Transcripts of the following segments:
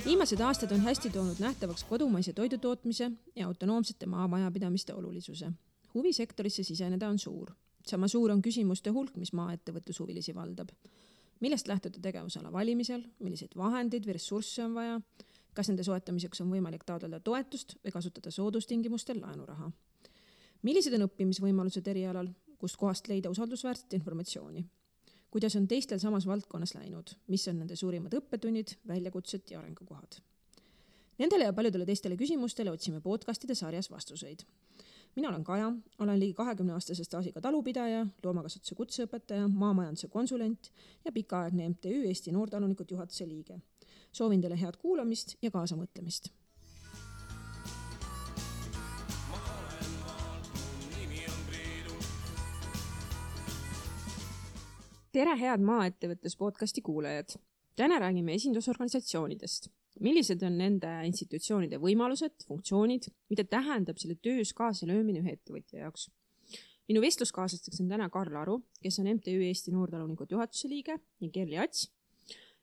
Viimased aastad on hästi toonud nähtavaks kodumaise toidutootmise ja autonoomsete maamajapidamiste olulisuse. Huvisektorisse siseneda on suur. Sama suur on küsimuste hulk, mis maaettevõtlushuvilisi valdab. Millest lähtuda tegevusala valimisel, milliseid vahendeid või ressursse on vaja, kas nende soetamiseks on võimalik taotleda toetust või kasutada soodustingimustel laenuraha. Millised on õppimisvõimalused erialal, kust kohast leida usaldusväärset informatsiooni? Kuidas on teistel samas valdkonnas läinud, mis on nende suurimad õppetunnid, väljakutsed ja arengukohad. Nendele ja paljudele teistele küsimustele otsime podcastide sarjas vastuseid. Mina olen Kaja, olen ligi 20-aastase staažiga talupidaja, loomakasvatuse kutseõpetaja, maamajanduse konsulent ja pikaaegne MTÜ Eesti Noortalunikud juhatuse liige. Soovin teile head kuulamist ja kaasamõtlemist. Tere head maaettevõttes podcasti kuulajad. Täna räägime esindusorganisatsioonidest. Millised on nende institutsioonide võimalused, funktsioonid, mida tähendab selle töös kaasalöömine ühe ettevõtja jaoks? Minu vestluskaaslasteks on täna Karl Aru, kes on MTÜ Eesti Noortalunikud juhatuse liige, ja Kerli Ats,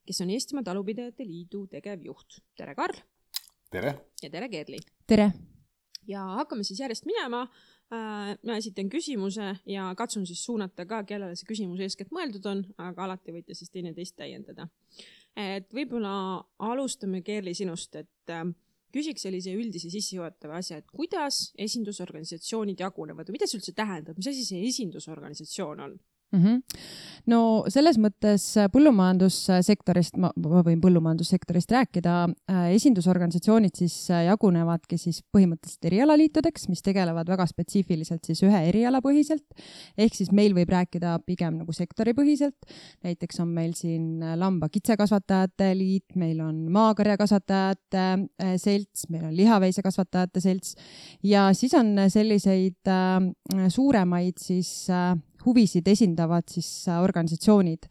kes on Eestimaa Talupidajate Liidu tegevjuht. Tere Karl! Tere! Ja tere Kerli! Tere! Ja hakkame siis järjest minema. Ma esitan küsimuse ja katsun siis suunata ka, kellele see küsimus eeskätt mõeldud on, aga alati võite siis teineteist täiendada. Et võib-olla alustame Kerli sinust, et küsiks sellise üldise sissejuhatava asja, et kuidas esindusorganisatsioonid jagunevad või mida see üldse tähendab, mis asi see esindusorganisatsioon on? No selles mõttes põllumajandussektorist, ma võin põllumajandussektorist rääkida, esindusorganisatsioonid siis jagunevadki siis põhimõtteliselt erialaliitudeks, mis tegelevad väga spetsiifiliselt siis ühe erialapõhiselt, ehk siis meil võib rääkida pigem nagu sektoripõhiselt, näiteks on meil siin lamba-kitsekasvatajate liit, meil on maakarjakasvatajate selts, meil on lihaveisekasvatajate selts ja siis on selliseid suuremaid siis huvisid esindavad siis organisatsioonid,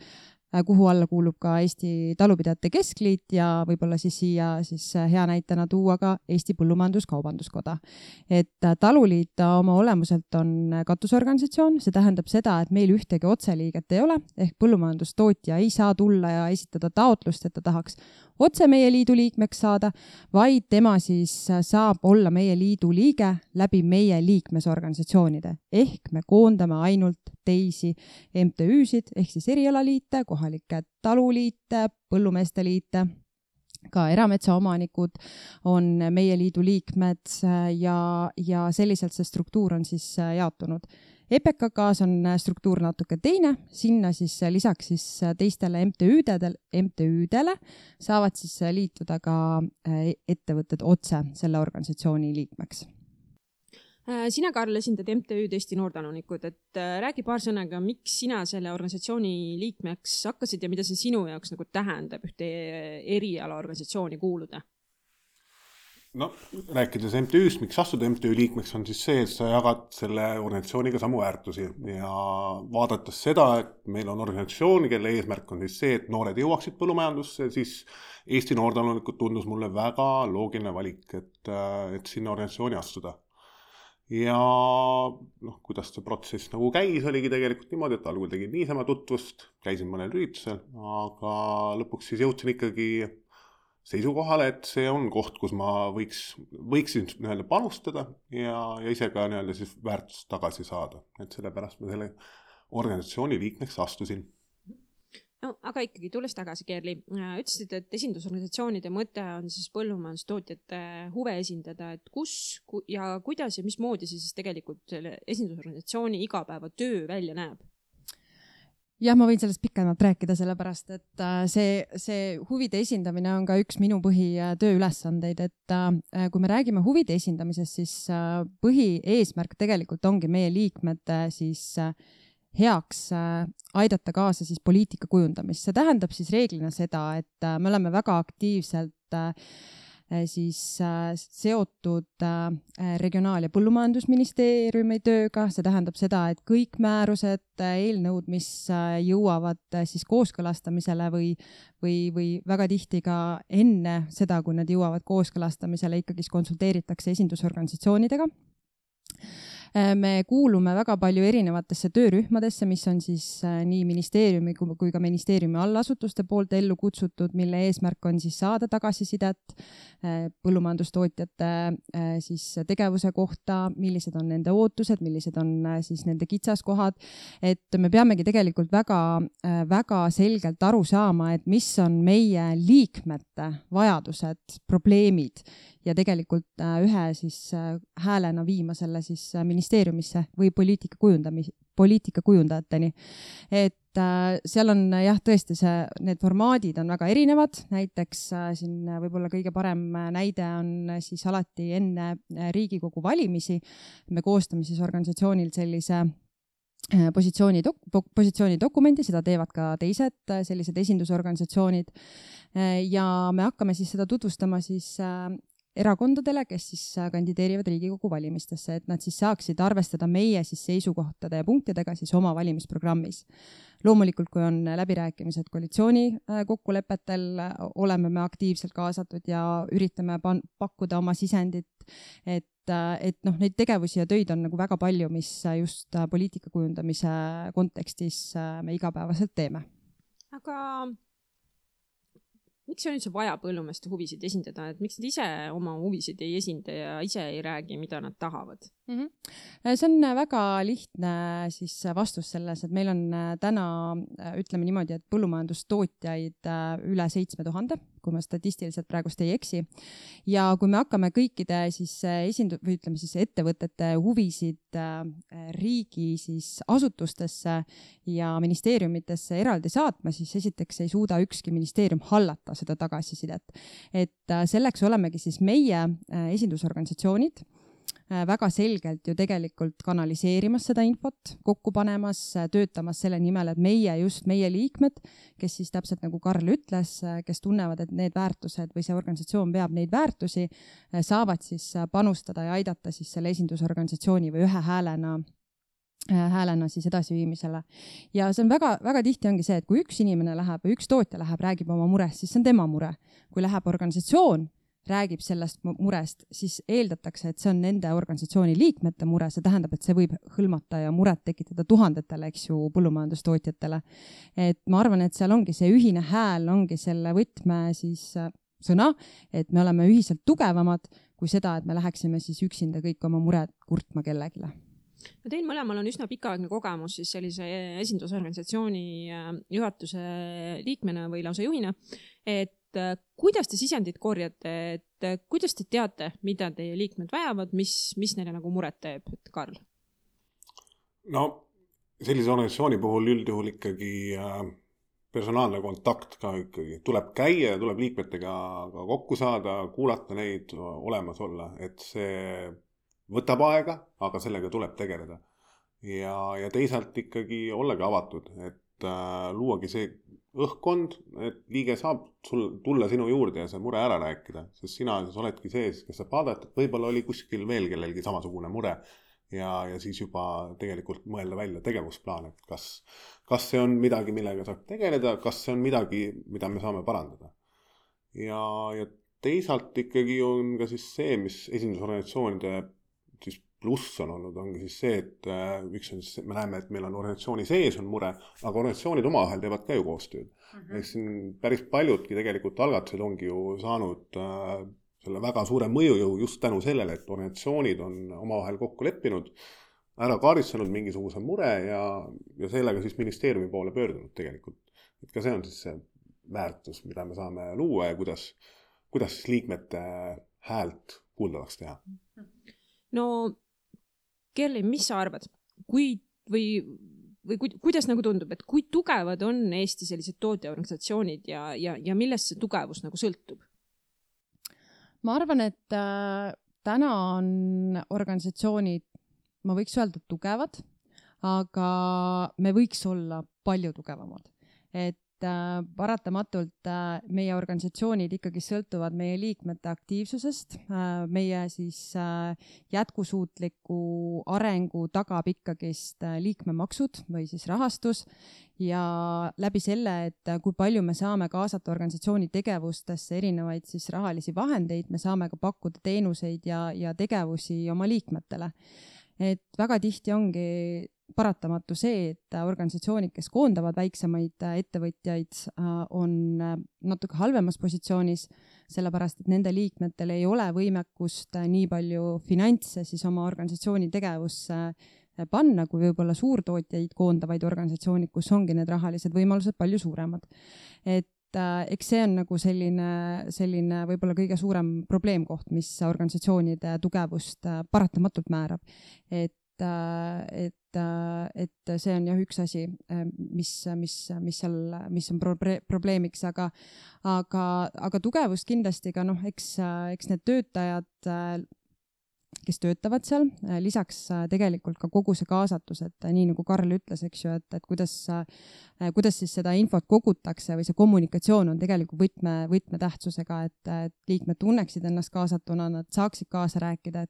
kuhu alla kuulub ka Eesti Talupidajate Keskliit ja võib-olla siis siia siis hea näitena tuua ka Eesti Põllumajandus-Kaubanduskoda. Et taluliit oma olemuselt on katusorganisatsioon, see tähendab seda, et meil ühtegi otseliiget ei ole, ehk põllumajandustootja ei saa tulla ja esitada taotlust, et ta tahaks otse meie liidu liikmeks saada, vaid tema siis saab olla meie liidu liige läbi meie liikmesorganisatsioonide. Ehk me koondame ainult teisi MTÜ-sid, ehk siis erialaliite, kohalikke taluliite, põllumeeste liite, ka erametsaomanikud on meie liidu liikmed ja selliselt see struktuur on siis jaotunud. EPKK-s on struktuur natuke teine, sinna siis lisaks siis teistele MTÜ-dele saavad siis liituda ka ettevõtted otse selle organisatsiooni liikmeks. Sina, Karl, esindad MTÜ-d Eesti Noortalunikud, et räägi paar sõnaga, miks sina selle organisatsiooni liikmeks hakkasid ja mida see sinu jaoks nagu tähendab ühte erialaorganisatsiooni kuuluda? No, rääkides MTÜ-st, miks astuda MTÜ liikmeks on siis see, et sa jagad selle organisatsiooniga samu väärtusi ja vaadates seda, et meil on organisatsioon, kelle eesmärk on siis see, et noored jõuaksid põllumajandusse, siis Eesti Noortalunikud tundus mulle väga loogiline valik, et sinna organisatsiooni astuda. Ja kuidas see protsess nagu käis, oligi tegelikult niimoodi, et algul tegin niisama tutvust, käisin mõnel üritusel, aga lõpuks siis jõudsin ikkagi seisukohale, et see on koht, kus ma võiksin panustada ja ise ka siis väärtust tagasi saada. Et sellepärast ma selle organisatsiooni liikmeks astusin. No, aga ikkagi, tulles tagasi, Kerli, ütlesid, et esindusorganisatsioonide mõte on siis põllumajandustootjate huve esindada, et kus ja kuidas ja mismoodi see siis tegelikult selle esindusorganisatsiooni igapäevatöö välja näeb? Jah, ma võin sellest pikemalt rääkida, sellepärast, et see huvide esindamine on ka üks minu põhitööülesandeid, et kui me räägime huvide esindamisest, siis põhieesmärk tegelikult ongi meie liikmete siis heaks aidata kaasa siis poliitika kujundamist. See tähendab siis reeglina seda, et me oleme väga aktiivselt siis seotud Regionaal- ja Põllumajandusministeeriumi tööga. See tähendab seda, et kõik määrused, eelnõud, mis jõuavad siis kooskõlastamisele või väga tihti ka enne seda, kui nad jõuavad kooskõlastamisele, ikkagi konsulteeritakse esindusorganisatsioonidega. Me kuulume väga palju erinevatesse töörühmadesse, mis on siis nii ministeeriumi kui ka ministeeriumi allasutuste poolt ellu kutsutud, mille eesmärk on siis saada tagasisidet põllumajandustootjate siis tegevuse kohta, millised on nende ootused, millised on siis nende kitsaskohad, et me peamegi tegelikult väga selgelt aru saama, et mis on meie liikmete vajadused, probleemid ja tegelikult ühe siis häälena viima selle siis ministeeriumisse või poliitika kujundajateni. Et seal on jah, tõesti need formaadid on väga erinevad, näiteks siin võib-olla kõige parem näide on siis alati enne Riigikogu valimisi. Me koostame siis organisatsioonil sellise positsioonidokumendi, seda teevad ka teised sellised esindusorganisatsioonid ja me hakkame siis seda tutvustama siis erakondadele, kes siis kandideerivad Riigikogu valimistesse, et nad siis saaksid arvestada meie siis seisukohtade ja punktidega siis oma valimisprogrammis. Loomulikult, kui on läbirääkimised koalitsiooni kokkulepetel, oleme me aktiivselt kaasatud ja üritame pakkuda oma sisendit, et neid tegevusi ja töid on nagu väga palju, mis just poliitika kujundamise kontekstis me igapäevaselt teeme. Aga miks on üldse vaja põllumeeste huvisid esindada, et miks nad ise oma huvisid ei esinda ja ise ei räägi, mida nad tahavad? See on väga lihtne siis vastus selles, et meil on täna, ütleme niimoodi, et põllumajandustootjaid üle 7000, kui ma statistiliselt praegust ei eksi. Ja kui me hakkame kõikide siis või ütleme siis ettevõtete huvisid riigi siis asutustesse ja ministeeriumitesse eraldi saatma, siis esiteks ei suuda ükski ministeerium hallata seda tagasisidet. Et selleks olemegi siis meie esindusorganisatsioonid väga selgelt ju tegelikult kanaliseerimas seda infot, kokku panemas, töötamas selle nimel, et meie liikmed, kes siis täpselt nagu Karl ütles, kes tunnevad, et need väärtused või see organisatsioon veab neid väärtusi, saavad siis panustada ja aidata siis selle esindusorganisatsiooni või ühe häälena siis edasiviimisele. Ja see on väga tihti ongi see, et kui üks inimene läheb või üks tootja läheb, räägib oma murest, siis see on tema mure. Kui läheb organisatsioon, räägib sellest murest, siis eeldatakse, et see on nende organisatsiooni liikmete mure, see tähendab, et see võib hõlmata ja muret tekitada tuhandetele, eks ju, põllumajandustootjatele. Et ma arvan, et seal ongi see ühine hääl, ongi selle võtme siis sõna, et me oleme ühiselt tugevamad kui seda, et me läheksime siis üksinda kõik oma mured kurtma kellegile. No teil mõlemal on üsna pikaaegne kogemus siis sellise esindusorganisatsiooni juhatuse liikmena või lausa juhina, et kuidas te sisendid korjate, et kuidas te teate, mida teie liikmed vajavad, mis neile nagu muret teeb, et Karl? No sellise organisatsiooni puhul üldjuhul ikkagi personaalne kontakt ka ikkagi. Tuleb käia ja tuleb liikmetega ka kokku saada, kuulata neid, olemas olla, et see võtab aega, aga sellega tuleb tegeleda. Ja teisalt ikkagi ollagi avatud, et luuagi see õhkkond, et liige saab tulla sinu juurde ja see mure ära rääkida, sest sina siis oledki sees, kes saab vaadata, et võib-olla oli kuskil veel kellelgi samasugune mure ja siis juba tegelikult mõelda välja tegevusplaan, et kas see on midagi, millega saab tegeleda, kas see on midagi, mida me saame parandada. Ja teisalt ikkagi on ka siis see, mis esindusorganisatsioonide siis pluss on olnud, ongi siis see, et üks on siis, me näeme, et meil on organisatsiooni sees on mure, aga organisatsioonid omavahel teevad ka ju koostööd. Siin päris paljudki tegelikult algatused ongi ju saanud selle väga suure mõjujõu just tänu sellele, et organisatsioonid on omavahel kokku leppinud, ära kaardistanud mingisuguse mure ja sellega siis ministeeriumi poole pöördunud tegelikult. Et ka see on siis see väärtus, mida me saame luua ja kuidas siis liikmete häält kuuldavaks teha. No Kerli, mis sa arvad? Kuidas nagu tundub, et kui tugevad on Eesti sellised tootjaorganisatsioonid ja millest see tugevus nagu sõltub? Ma arvan, et täna on organisatsioonid, ma võiks öelda, tugevad, aga me võiks olla palju tugevamad. Et paratamatult meie organisatsioonid ikkagi sõltuvad meie liikmete aktiivsusest, meie siis jätkusuutliku arengu tagab ikkagist liikmemaksud või siis rahastus ja läbi selle, et kui palju me saame kaasata organisatsiooni tegevustesse erinevaid siis rahalisi vahendeid, me saame ka pakkuda teenuseid ja tegevusi oma liikmetele. et väga tihti ongi paratamatu see, et organisatsioonid, kes koondavad väiksemaid ettevõtjaid, on natuke halvemas positsioonis, sellepärast et nende liikmetel ei ole võimekust nii palju finantse siis oma organisatsiooni tegevusse panna, kui võib-olla suurtootjaid koondavaid organisatsioonid, kus ongi need rahalised võimalused palju suuremad. Et eks see on nagu selline võib-olla kõige suurem probleemkoht, mis organisatsioonide tugevust paratamatult määrab. Et see on jah üks asi, mis on probleemiks, aga tugevust kindlasti ka eks need töötajad, kes töötavad seal, lisaks tegelikult ka kogu see kaasatus, et nii nagu Karl ütles, eks ju, et kuidas siis seda infot kogutakse või see kommunikatsioon on tegelikult võtmetähtsusega, et liikmed tunneksid ennast kaasatuna, nad saaksid kaasa rääkida,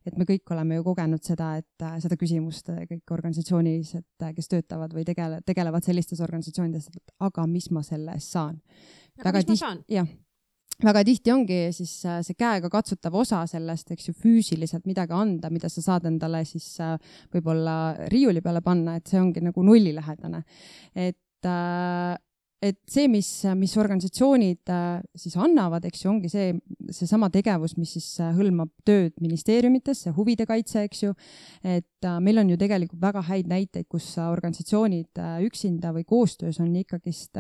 et me kõik oleme ju kogenud seda küsimust kõik organisatsioonis, et kes töötavad või tegelevad sellistes organisatsioonides, et aga mis ma selle eest saan? Väga tihti ongi siis see käega katsutav osa sellest, eks ju, füüsiliselt midagi anda, mida sa saad endale siis võib-olla riiuli peale panna, et see ongi nagu nullilähedane. Et see, mis organisatsioonid siis annavad, eks ju, ongi see sama tegevus, mis siis hõlmab tööd ministeeriumites, see huvide kaitse, eks ju, et meil on ju tegelikult väga häid näiteid, kus organisatsioonid üksinda või koostöös on ikkagist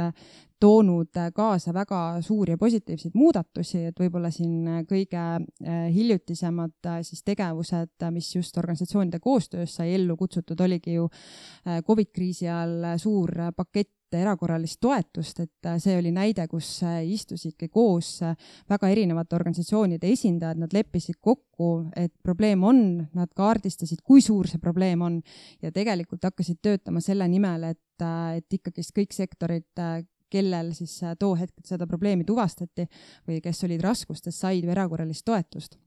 toonud kaasa väga suuri ja positiivseid muudatusi, et võib-olla siin kõige hiljutisemad siis tegevused, mis just organisatsioonide koostöös sai ellu kutsutud, oligi ju COVID-kriisi all suur pakett erakorralist toetust, et see oli näide, kus istusidki koos väga erinevate organisatsioonide esindajad, nad leppisid kokku, et probleem on, nad kaardistasid, kui suur see probleem on ja tegelikult hakkasid töötama selle nimel, et ikkagi kõik sektorid, kellel siis too hetk seda probleemi tuvastati või kes olid raskustes, said erakorralist toetust.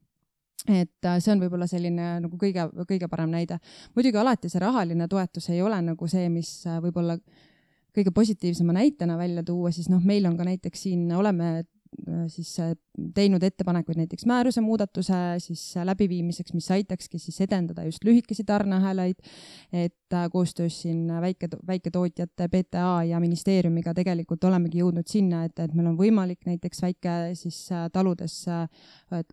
Et see on võib-olla selline nagu kõige parem näide. Muidugi alati see rahaline toetus ei ole nagu see, mis võib-olla kõige positiivsema näitena välja tuua, siis meil on ka näiteks siin oleme siis teinud ettepanekuid näiteks määruse muudatuse siis läbiviimiseks, mis aitakski siis edendada just lühikesi tarneahelaid, et koostöös siin väiketootjate PTA ja ministeeriumiga tegelikult olemegi jõudnud sinna, et meil on võimalik näiteks väike siis taludes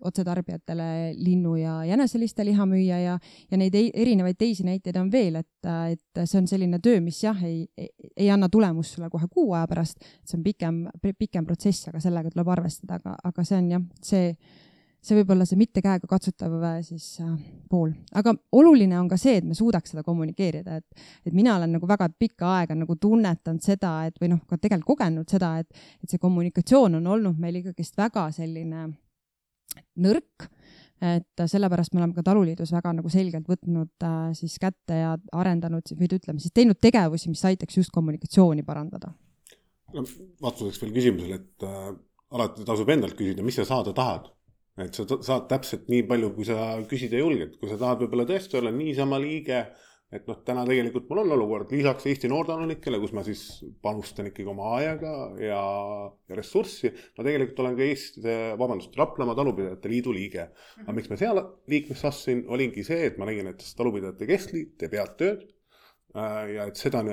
otsetarbijatele linnu ja jäneseliste liha müüa ja neid erinevaid teisi näiteid on veel, et see on selline töö, mis jah, ei anna tulemust sulle kohe 6 aja pärast, see on pikem protsess, aga sellega tuleb arvestada, aga see on jah, see võib-olla see mitte käega katsutav siis pool. Aga oluline on ka see, et me suudaks seda kommunikeerida, et mina olen nagu väga pikka aega nagu tunnetanud seda, et või ka tegelikult kogenud seda, et see kommunikatsioon on olnud meil ikkagist väga selline nõrk, et sellepärast me oleme ka Taluliidus väga nagu selgelt võtnud siis kätte ja arendanud või ütleme siis teinud tegevusi, mis aitaks just kommunikatsiooni parandada. Vastuseks veel küsimusele, et alati tasub endalt küsida, mis sa saada tahad. Et sa saad täpselt nii palju, kui sa küsida julged. Kui sa tahad võib-olla tõesti olla niisama liige, et täna tegelikult mul on olukord lisaks Eesti noortanolikele, kus ma siis panustan ikkagi oma ajaga ja ressurssi. Ma tegelikult olen ka Raplamaa Talupidajate Liidu liige. Aga miks ma seal liikmeks assin, olingi see, et ma nägin, et Talupidajate Keskliit teeb head tööd ja et seda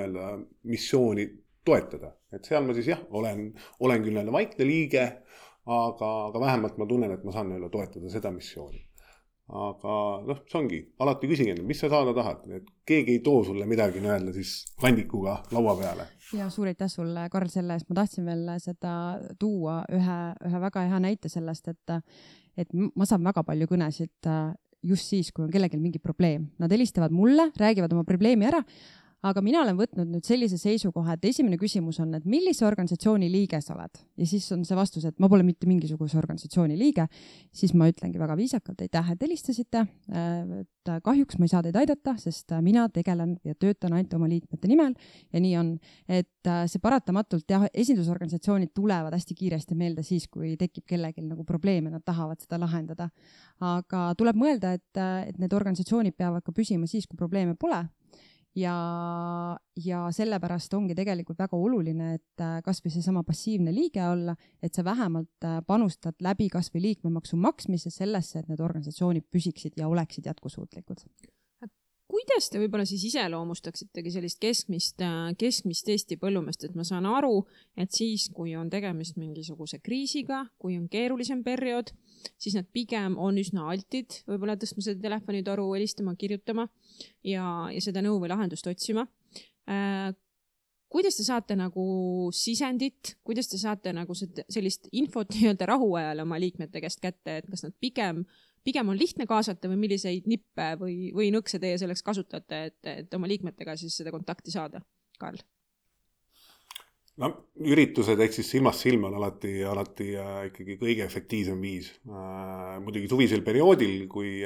missiooni toetada. Et seal ma siis jah, olen küll vaikne liige, aga vähemalt ma tunnen, et ma saan toetada seda missiooni. Aga see ongi, alati küsin, mis sa saada tahad, et keegi ei too sulle midagi siis kandikuga laua peale. Ja suur aitäh sulle, Karl, selle eest. Ma tahtsin veel seda tuua ühe väga hea näite sellest, et ma saan väga palju kõnesid just siis, kui on kellelgi mingi probleem. Nad helistavad mulle, räägivad oma probleemi ära, aga mina olen võtnud nüüd sellise seisukoha, et esimene küsimus on, et millise organisatsiooni liige sa oled? Ja siis on see vastus, et ma pole mitte mingisuguse organisatsiooni liige. Siis ma ütlengi väga viisakalt, aitäh, et helistasite. Et kahjuks ma ei saa teid aidata, sest mina tegelen ja töötan ainult oma liikmete nimel ja nii on. Et see paratamatult, jah, esindusorganisatsioonid tulevad hästi kiiresti meelde siis, kui tekib kellelgi nagu probleeme, nad tahavad seda lahendada. Aga tuleb mõelda, et need organisatsioonid peavad ka püsima siis, kui probleeme pole. Ja sellepärast ongi tegelikult väga oluline, et kas või see sama passiivne liige olla, et sa vähemalt panustad läbi kas või liikmemaksu maksmise sellesse, et need organisatsioonid püsiksid ja oleksid jätkusuutlikud. kuidas te võib-olla siis iseloomustaksitegi sellist keskmist Eesti põllumeest, et ma saan aru, et siis, kui on tegemist mingisuguse kriisiga, kui on keerulisem periood, siis nad pigem on üsna altid, võib-olla tõstma seda telefonitoru, helistama, kirjutama ja seda nõu või lahendust otsima. Kuidas te saate nagu sisendit, kuidas te saate nagu sellist infot nii-öelda rahuajal oma liikmete käest kätte, et kas nad pigem on lihtne kaasata või milliseid nippe või nõkse teie selleks kasutate, et oma liikmetega siis seda kontakti saada, Karl? No, üritused ehk siis silmast silma on alati ikkagi kõige efektiivsem viis. Muidugi suvisel perioodil, kui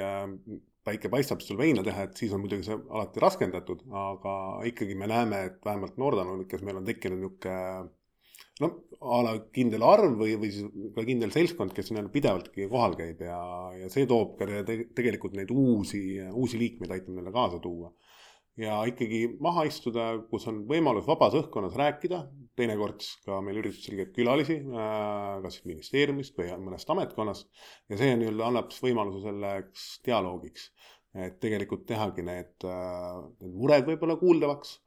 päike paistab sul veina teha, et siis on muidugi see alati raskendatud, aga ikkagi me näeme, et vähemalt noortanulikes meil on tekkinud niisugune ala kindel arv või siis ka kindel seltskond, kes pidevaltki kohal käib ja see toob ka tegelikult neid uusi liikmeid aitab neile kaasa tuua. Ja ikkagi maha istuda, kus on võimalus vabas õhkkonnas rääkida, teinekord ka meil üritusel käib külalisi, kas ministeeriumist või mõnest ametkonnast, ja see annab võimaluse selleks dialoogiks, et tegelikult tehagi need mured võib-olla kuuldavaks,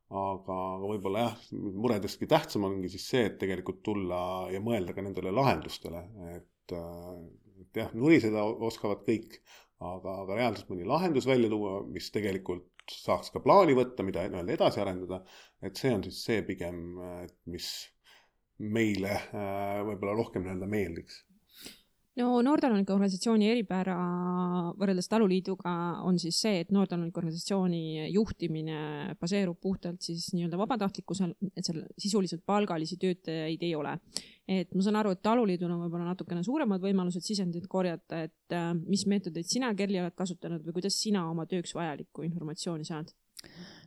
aga võib-olla muredestki tähtsam ongi siis see, et tegelikult tulla ja mõelda ka nendele lahendustele, et nuriseda oskavad kõik, aga reaalselt mõni lahendus välja tuua, mis tegelikult saaks ka plaani võtta, mida edasi arendada, et see on siis see pigem, mis meile võib-olla rohkem meeldiks. No noortanunike organisatsiooni eripära võrreldes taluliiduga on siis see, et noortanunike organisatsiooni juhtimine baseerub puhtalt siis nii-öelda vabatahtlikkusel, et seal sisuliselt palgalisi töötajaid ei ole. Et ma saan aru, et taluliidul on võib-olla natukene suuremad võimalused sisendit korjata, et mis meetodeid sina, Kerli, oled kasutanud või kuidas sina oma tööks vajalikku informatsiooni saad?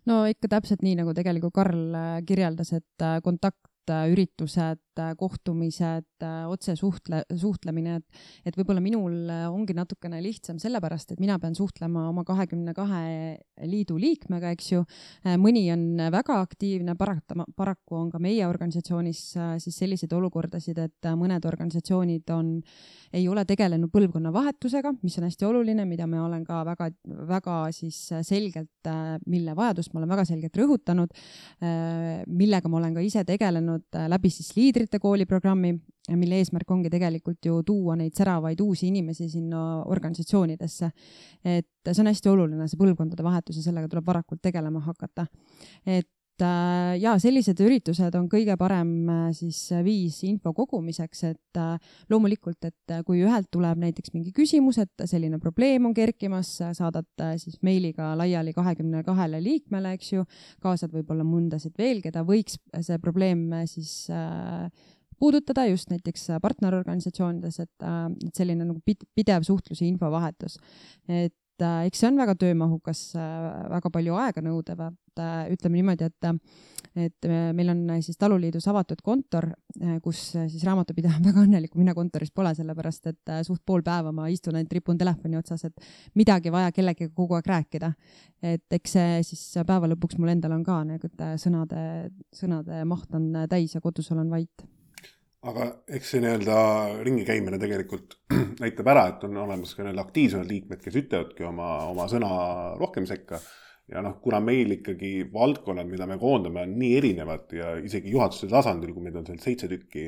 No ikka täpselt nii, nagu tegelikult Karl kirjeldas, et kontaktüritused, kohtumised, otse suhtlemine, et võib-olla minul ongi natukene lihtsam sellepärast, et mina pean suhtlema oma 22 liidu liikmega, eks ju. Mõni on väga aktiivne, paraku on ka meie organisatsioonis siis selliseid olukordasid, et mõned organisatsioonid ei ole tegelenud põlvkonna vahetusega, mis on hästi oluline, mida me olen ka väga siis selgelt, mille vajadust ma olen väga selgelt rõhutanud, millega ma olen ka ise tegelenud läbi siis liidrite kooliprogrammi, mille eesmärk ongi tegelikult ju tuua neid säravaid uusi inimesi sinna organisatsioonidesse. Et see on hästi oluline, see põlvkondade vahetus ja sellega tuleb varakult tegelema hakata. Et sellised üritused on kõige parem siis viis info kogumiseks, et loomulikult, et kui ühelt tuleb näiteks mingi küsimus, et selline probleem on kerkimas, saadad siis meiliga laiali 22 liikmele, eks ju, kaasad võib-olla mõndasid veel, keda võiks see probleem siis puudutada just näiteks partnerorganisatsioonides, et selline nagu pidev suhtlus ja infovahetus. Et eks see on väga töömahukas, väga palju aega nõudevad. Ütleme niimoodi, et meil on siis taluliidus avatud kontor, kus siis raamatupidaja on väga õnnelik, kui mina kontoris pole, sellepärast, et suht pool päeva ma istun ainult tripun telefoni otsas, et midagi vaja kellegagi kogu aeg rääkida. Et eks see siis päeva lõpuks mul endal on ka, et sõnade maht on täis ja kodus olen vait. Aga eks see ringi käimine tegelikult näitab ära, et on olemas ka aktiivsed liikmed, kes ütlevadki oma sõna rohkem sekka. Ja kuna meil ikkagi valdkonnad, mida me koondame, on nii erinevad ja isegi juhatuse tasandil, kui meil on seal 7 tükki,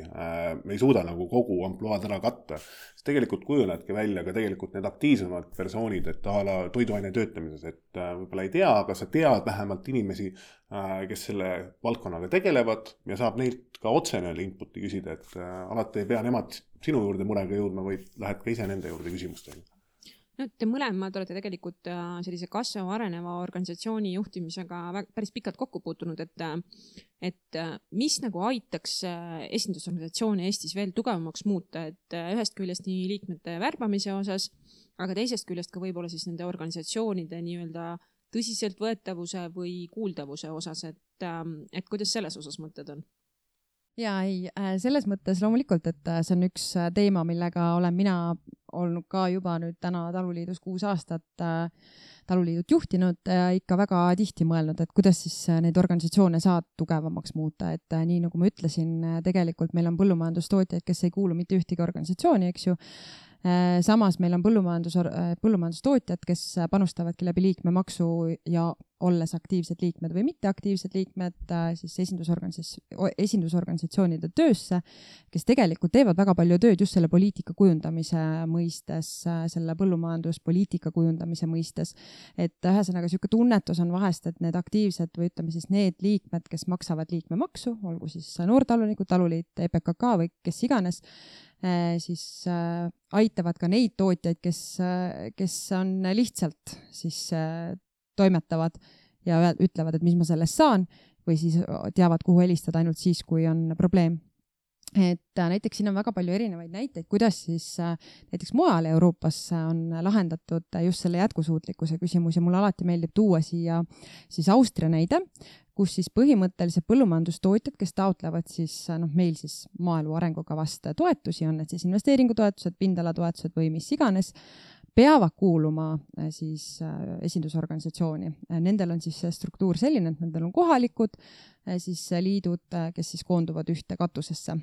me ei suuda kogu ampluaad ära katta. Siis tegelikult kujunevadki välja ka tegelikult need aktiivsemad persoonid, et toiduaine töötlemises, et võib-olla ei tea, aga sa tead vähemalt inimesi, kes selle valdkonnaga tegelevad ja saab neilt ka otse inputi küsida, et alati ei pea nemad sinu juurde murega jõudma, vaid lähed ka ise nende juurde küsimustega. No, te mõlemad olete tegelikult sellise kasvava areneva organisatsiooni juhtimisega päris pikalt kokku puutunud, et mis aitaks esindusorganisatsiooni Eestis veel tugevamaks muuta, et ühest küljest nii liikmete värbamise osas, aga teisest küljest ka võib-olla siis nende organisatsioonide nii-öelda tõsiseltvõetavuse või kuuldavuse osas, et kuidas selles osas mõtted on? Selles mõttes loomulikult, et see on üks teema, millega olen mina olnud ka juba nüüd täna taluliidus 6 aastat taluliidut juhtinud ja ikka väga tihti mõelnud, et kuidas siis neid organisatsioone saad tugevamaks muuta, et nii nagu ma ütlesin, tegelikult meil on põllumajandustootjaid, kes ei kuulu mitte ühtegi organisatsiooni, eks ju, Samas meil on põllumajandustootjad, kes panustavadki läbi liikmemaksu ja olles aktiivsed liikmed või mitteaktiivsed liikmed siis esindusorganisatsioonide töösse, kes tegelikult teevad väga palju tööd just selle poliitika kujundamise mõistes, selle põllumajanduspoliitika kujundamise mõistes. Et ühesõnaga niisugune tunnetus on vahest, et need aktiivsed või ütleme siis need liikmed, kes maksavad liikmemaksu, olgu siis noortalunikud, taluliit, EPKK või kes iganes, siis aitavad ka neid tootjaid, kes on lihtsalt siis toimetavad ja ütlevad, et mis ma sellest saan või siis teavad, kuhu helistada ainult siis, kui on probleem. Et näiteks siin on väga palju erinevaid näiteid, kuidas siis näiteks mujal Euroopas on lahendatud just selle jätkusuutlikkuse küsimus ja mulle alati meeldib tuua siia siis Austria näide, kus siis põhimõtteliselt põllumajandustootjad, kes taotlevad siis meil siis maaelu arengukavast toetusi, on need siis investeeringutoetused, pindalatoetused või mis iganes, peavad kuuluma siis esindusorganisatsiooni. Nendel on siis struktuur selline, et nendel on kohalikud siis liidud, kes siis koonduvad ühte katusesse.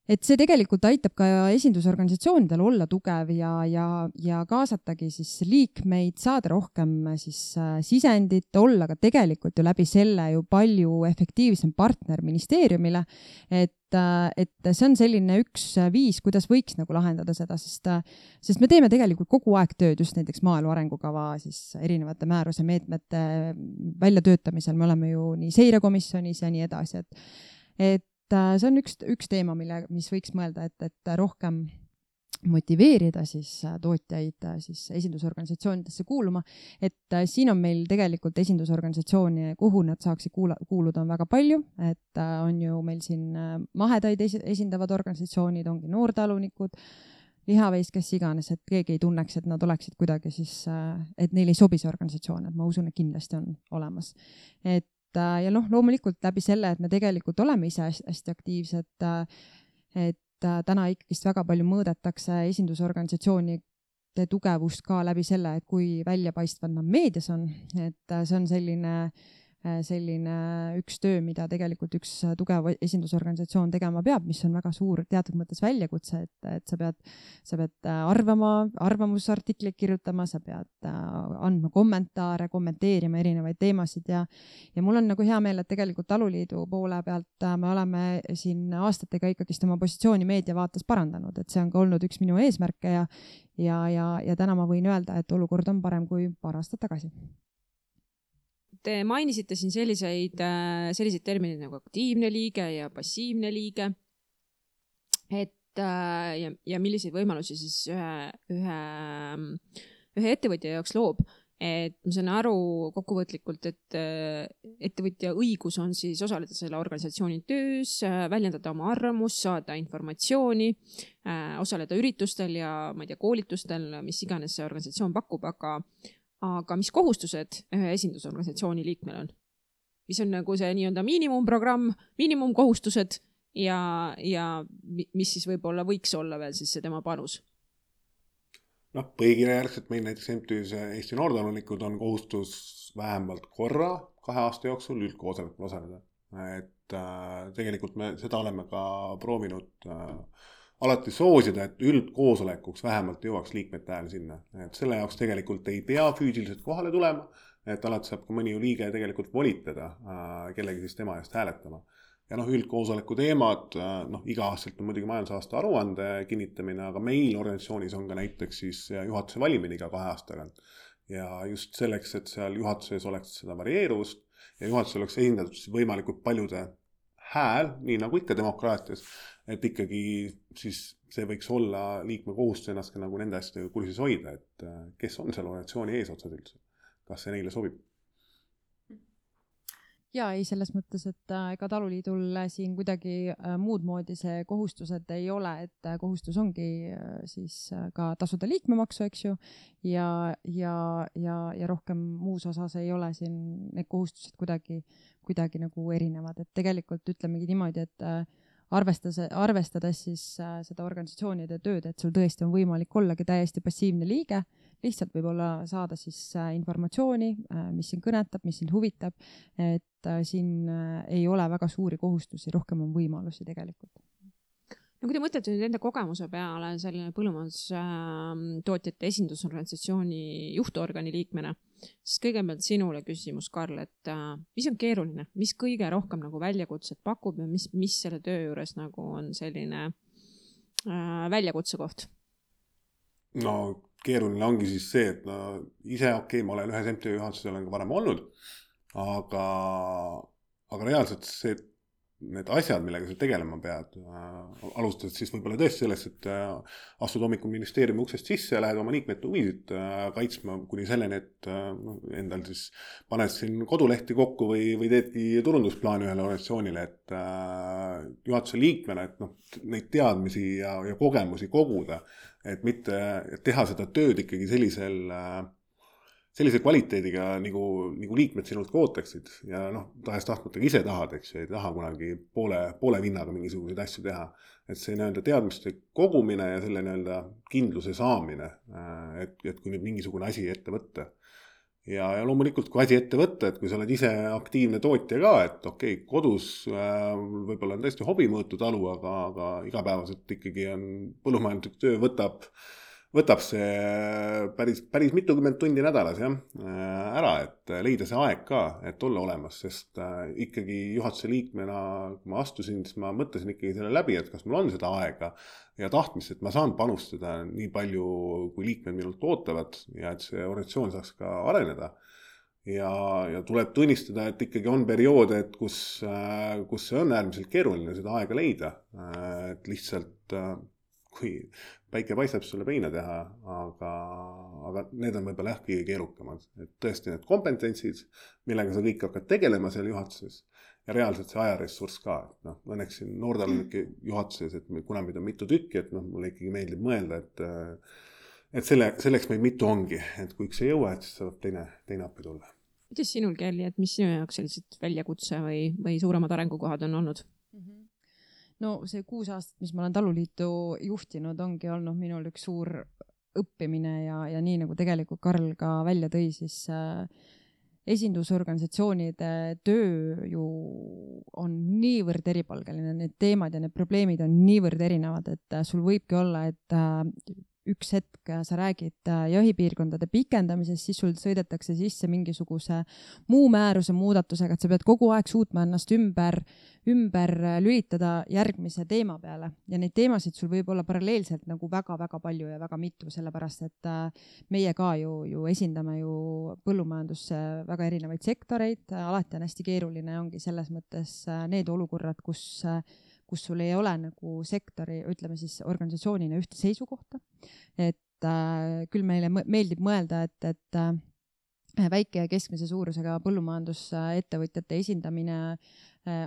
Et see tegelikult aitab ka esindusorganisatsioonidel olla tugev ja kaasatagi siis liikmeid, saada rohkem siis sisendit, olla ka tegelikult ju läbi selle ju palju efektiivsem partner ministeeriumile, et see on selline üks viis, kuidas võiks nagu lahendada seda, sest me teeme tegelikult kogu aeg tööd just näiteks maaelu arengukava siis erinevate määruse meetmete väljatöötamisel, me oleme ju nii seirekomisjonis ja nii edasi, et see on üks teema, mis võiks mõelda, et rohkem motiveerida siis tootjaid siis esindusorganisatsioonidesse kuuluma, et siin on meil tegelikult esindusorganisatsiooni, kuhu nad saaksid kuuluda on väga palju, et on ju meil siin mahedaid esindavad organisatsioonid, ongi noortalunikud, lihaveis, kes iganes, et keegi ei tunneks, et nad oleksid kuidagi siis, et neil ei sobi see organisatsioon, et ma usun, et kindlasti on olemas. Ja loomulikult läbi selle, et me tegelikult oleme ise hästi aktiivsed, et täna ikkagist väga palju mõõdetakse esindusorganisatsioonide tugevust ka läbi selle, et kui väljapaistvad nad meedias on, et see on selline üks töö, mida tegelikult üks tugev esindusorganisatsioon tegema peab, mis on väga suur teatud mõttes väljakutse, et sa pead arvamusartikleid kirjutama, sa pead andma kommentaare, kommenteerima erinevaid teemasid ja mul on nagu hea meel, et tegelikult Taluliidu poole pealt me oleme siin aastatega ikkagist oma positsiooni meediavaates parandanud, et see on ka olnud üks minu eesmärke ja täna ma võin öelda, et olukord on parem kui paar aastat tagasi. Te mainisite siin selliseid terminid nagu aktiivne liige ja passiivne liige, et ja milliseid võimalusi siis ühe ettevõtja jaoks loob. Et ma saan aru kokkuvõtlikult, et ettevõtja õigus on siis osaleda selle organisatsiooni töös, väljendada oma arvamust, saada informatsiooni, osaleda üritustel ja koolitustel, mis iganes see organisatsioon pakub, aga mis kohustused ühe esindusorganisatsiooni liikmel on? Mis on nagu see nii-öelda miinimumprogramm, miinimumkohustused ja mis siis võib-olla võiks olla veel siis see tema panus? Põhikirja järgselt meil näiteks MTÜs Eesti Noortalunikud on kohustus vähemalt korra 2 aasta jooksul üldkoosolekul osaleda. Et tegelikult me seda oleme ka proovinud alati soosida, et üldkoosolekuks vähemalt jõuaks liikmete hääl sinna. Et selle jaoks tegelikult ei pea füüsiliselt kohale tulema, et alati saab ka mõni liige tegelikult volitada kellegi siis tema eest hääletama. Ja üldkoosoleku teemad, iga-aastalt on muidugi majandusaasta aruande kinnitamine, aga meil organisatsioonis on ka näiteks siis juhatuse valimine iga 2 aastaga. Ja just selleks, et seal juhatuses oleks seda varieeruvust ja juhatuses oleks esindatud võimalikult paljude hääl, nii nagu ikka demokraatias, et ikkagi siis see võiks olla liikme kohustus ennast ka nagu nende asjadega kursis hoida, et kes on seal organisatsiooni eesotsad üldse, kas see neile sobib. Ja ei selles mõttes, et ega Taluliidul siin kuidagi muud moodi see kohustused ei ole, et kohustus ongi siis ka tasuda liikmemaksu, eks ju, ja rohkem muus osas ei ole siin need kohustused kuidagi nagu erinevad, et tegelikult ütlemegi niimoodi, et arvestades siis seda organisatsioonide tööd, et sul tõesti on võimalik ollagi täiesti passiivne liige, lihtsalt võib-olla saada siis informatsiooni, mis sind kõnetab, mis sind huvitab, et siin ei ole väga suuri kohustusi, rohkem on võimalusi tegelikult. No kui te mõtlete nüüd enda kogemuse peale selline põllumajandustootjate esindusorganisatsiooni juhtorgani liikmena, siis kõigepealt sinule küsimus, Karl, et mis on keeruline, mis kõige rohkem nagu väljakutset pakub ja mis selle töö juures nagu on selline väljakutsekoht? No keeruline ongi siis see, et ise ma olen ühes MTÜ juhatuses olen ka varem olnud, aga reaalselt need asjad, millega sa tegelema pead, alustad siis võib-olla tõesti sellest, et astud hommikul ministeeriumi uksest sisse ja lähed oma liikmete huvisid kaitsma kuni selleni, et endal siis paned siin kodulehti kokku või teedki turundusplaani ühele organisatsioonile, et juhatuse liikmena, et neid teadmisi ja kogemusi koguda, et mitte teha seda tööd ikkagi sellise kvaliteediga, nagu liikmed sinult ka ootaksid ja tahes tahtmata ise tahad, eks ju, ei taha kunagi poole vinnaga mingisuguseid asju teha. Et see teadmiste kogumine ja selle kindluse saamine, et kui nüüd mingisugune asi ette võtta. Ja loomulikult, kui asi ette võtta, et kui sa oled ise aktiivne tootja ka, et okei, kodus võib-olla on tõesti hobimõõtu talu, aga igapäevaselt ikkagi on põllumajanduslik töö võtab see päris mitukümmend tundi nädalas ära, et leida see aeg ka, et olla olemas, sest ikkagi juhatuse liikmena, kui ma astusin, siis ma mõtlesin ikkagi selle läbi, et kas mul on seda aega ja tahtmist, et ma saan panustada nii palju, kui liikmed minult ootavad ja et see organisatsioon saaks ka areneda. Ja tuleb tunnistada, et ikkagi on perioode, et kus see on äärmiselt keeruline seda aega leida, et lihtsalt kui päike paistab sulle peina teha, aga need on võib-olla kõige keerukamad. Et tõesti need kompetentsid, millega sa kõik hakkad tegelema seal juhatuses ja reaalselt see ajaressurss ka. Õnneks siin noortalunnike juhatuses, et kuna meid on mitu tükki, et mulle ikkagi meeldib mõelda, et selleks meid mitu ongi, et kui üks ei jõua, et siis saab teine appi tulla. Kuidas sinul, Kelly, et mis sinu jaoks sellised väljakutse või suuremad arengukohad on olnud? No see 6 aastat, mis ma olen taluliitu juhtinud, ongi olnud minul üks suur õppimine ja nii nagu tegelikult Karl ka välja tõi, siis esindusorganisatsioonide töö ju on niivõrd eripalgeline, need teemad ja need probleemid on niivõrd erinevad, et sul võibki olla, et üks hetk sa räägid jahipiirkondade pikendamisest, siis sul sõidetakse sisse mingisuguse muu määruse muudatusega, et sa pead kogu aeg suutma ennast ümber lülitada järgmise teema peale. Ja neid teemasid sul võib olla paralleelselt nagu väga-väga palju ja väga mitu, sellepärast et meie ka ju esindame ju põllumajandusse väga erinevaid sektoreid, alati on hästi keeruline ongi selles mõttes need olukorrad, kus sul ei ole nagu sektori, ütleme siis organisatsioonina ühte seisukohta. Et küll meile meeldib mõelda, et väike ja keskmise suurusega põllumajandusettevõtjate esindamine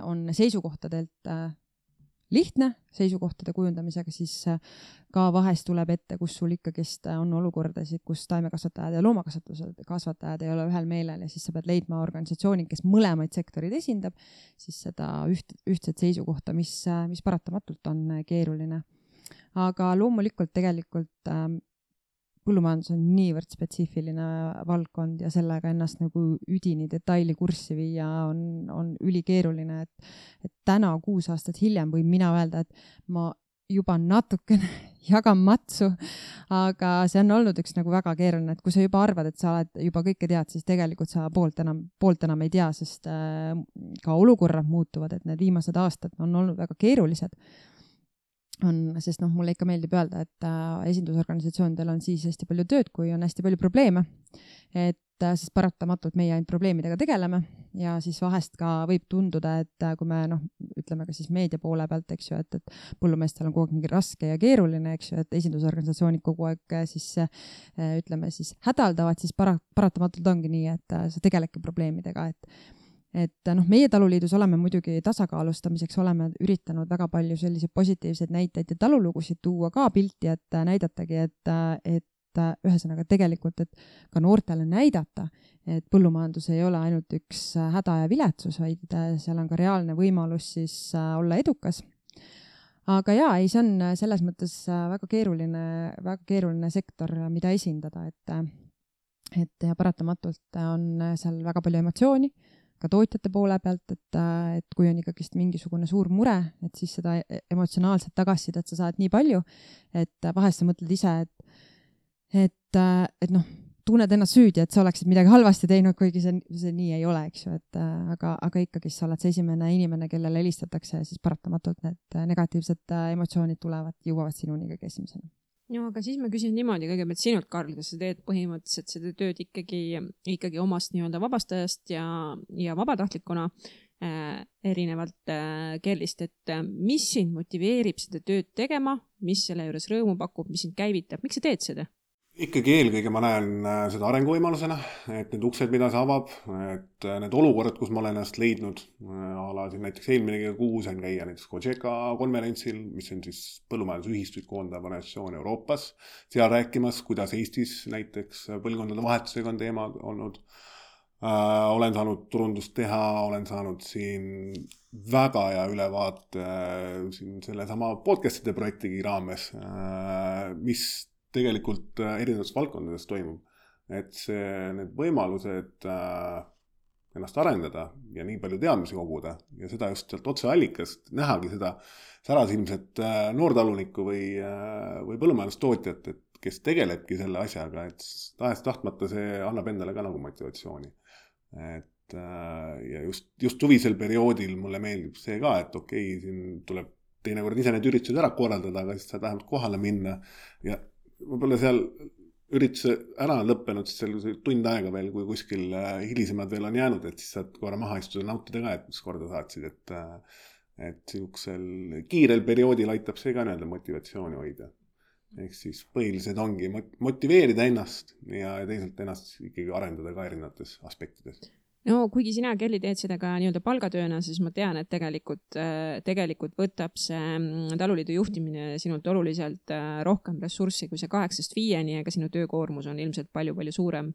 on seisukohtadelt lihtne, seisukohtade kujundamisega siis ka vahest tuleb ette, kus sul ikkagist on olukordasid, kus taimekasvatajad ja loomakasvatajad ei ole ühel meelel ja siis sa pead leidma organisatsiooni, kes mõlemaid sektorid esindab, siis seda ühtset seisukohta, mis paratamatult on keeruline. Aga loomulikult tegelikult põllumajandus on niivõrd spetsiifiline valdkond ja sellega ennast nagu üdini detaili kurssi viia on ülikeeruline, et täna 6 aastat hiljem võin mina öelda, et ma juba natukene jagan matsu, aga see on olnud üks nagu väga keeruline, et kui sa juba arvad, et sa oled juba kõike tead, siis tegelikult sa poolt enam ei tea, sest ka olukorrad muutuvad, et need viimased aastad on olnud väga keerulised. Sest mulle ikka meeldib öelda, et esindusorganisatsioonidel on siis hästi palju tööd, kui on hästi palju probleeme, et siis paratamatult meie ainult probleemidega tegeleme ja siis vahest ka võib tunduda, et kui me ütleme ka siis meedia poole pealt, eks ju, et põllumeestel on kogu aeg mingi raske ja keeruline, eks ju, et esindusorganisatsioonid kogu aeg siis ütleme siis hädaldavad, siis paratamatult ongi nii, et sa tegeledki probleemidega, et meie taluliidus oleme muidugi tasakaalustamiseks, oleme üritanud väga palju selliseid positiivseid näiteid ja talulugusid tuua ka pilti, et näidatagi, et ühesõnaga tegelikult, et ka noortele näidata, et põllumajandus ei ole ainult üks häda ja viletsus, vaid seal on ka reaalne võimalus siis olla edukas. Aga see on selles mõttes väga keeruline sektor, mida esindada, et ja paratamatult on seal väga palju emotsiooni, ka tootjate poole pealt, et kui on ikkagi mingisugune suur mure, et siis seda emotsionaalset tagasisidet sa saad nii palju, et vahest sa mõtled ise, et noh, tunned ennast süüdi, et sa oleksid midagi halvasti teinud, kuigi see nii ei ole, eks ju, aga ikkagi sa oled see esimene inimene, kellele helistatakse ja siis paratamatult need negatiivsed emotsioonid tulevad, jõuavad sinuni kõige esimesena. No aga siis ma küsin niimoodi kõigepealt sinult, Karl, kas sa teed põhimõtteliselt seda tööd ikkagi omast nii-öelda vabastajast ja vabatahtlikuna erinevalt Kellist, et mis sind motiveerib seda tööd tegema, mis selle juures rõõmu pakub, mis sind käivitab, miks sa teed seda? Ikkagi eelkõige ma näen seda arenguvõimalusena, et need uksed, mida see avab, et need olukorrad, kus ma olen ennast leidnud, alasin näiteks eelmine kuu sain käia näiteks Cogeca konverentsil, mis on siis põllumajandusühistuid koondav organisatsioon Euroopas, seal rääkimas, kuidas Eestis näiteks põlvkondade vahetusega on teema olnud. Olen saanud turundust teha, olen saanud siin väga hea ülevaate siin selle sama podcastide projektigi raames, mis tegelikult erinevates valdkondades toimub, et need võimalused ennast arendada ja nii palju teadmisi koguda ja seda just sealt otseallikast nähagi seda särasilmset noortalunikku või põllumajandustootjat, et kes tegelebki selle asjaga, et tahes-tahtmata see annab endale ka nagu motivatsiooni. Et ja just suvisel perioodil mulle meeldib see ka, et okei, siin tuleb teinekord ise need üritused ära korraldada, aga siis saad vähemalt kohale minna ja võib-olla seal ürituse ära lõppenud, siis seal tund aega veel, kui kuskil hilisemad veel on jäänud, et siis saad korra maha istuda nautida ka, et mis korda saatsid, et siuksel kiirel perioodil aitab see ka nii-öelda motivatsiooni hoida. Ehk siis põhilised ongi motiveerida ennast ja teisalt ennast ikkagi arendada ka erinevates aspektides. No kuigi sina, Kelly, teed seda ka nii-öelda palgatööna, siis ma tean, et tegelikult võtab see taluliidu juhtimine sinult oluliselt rohkem ressurssi kui see 8-5, aga sinu töökoormus on ilmselt palju-palju suurem,